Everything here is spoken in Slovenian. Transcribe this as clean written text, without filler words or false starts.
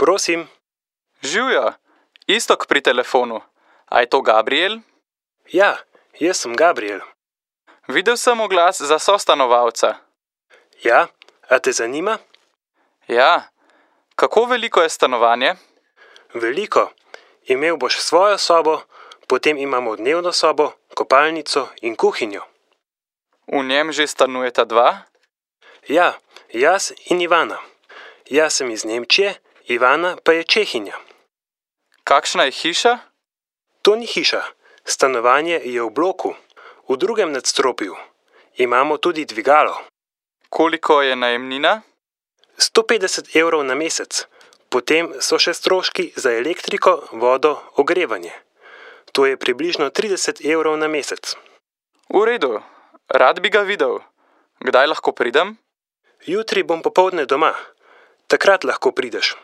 Prosim. Živjo, Iztok pri telefonu. A je to Gabriel? Ja, jaz sem Gabriel. Videl sem oglas za sostanovalca. Ja, a te zanima? Ja. Kako veliko je stanovanje? Veliko. Imel boš svojo sobo, potem imamo dnevno sobo, kopalnico in kuhinjo. V njem že stanujeta dva? Ja, jaz in Ivana. Jaz sem iz Nemčije, Ivana pa je Čehinja. Kakšna je hiša? To ni hiša. Stanovanje je v bloku, v drugem nadstropju. Imamo tudi dvigalo. Koliko je najemnina? 150 evrov na mesec. Potem so še stroški za elektriko, vodo, ogrevanje. To je približno 30 evrov na mesec. V redu. Rad bi ga videl. Kdaj lahko pridem? Jutri bom popoldne doma. Takrat lahko prideš.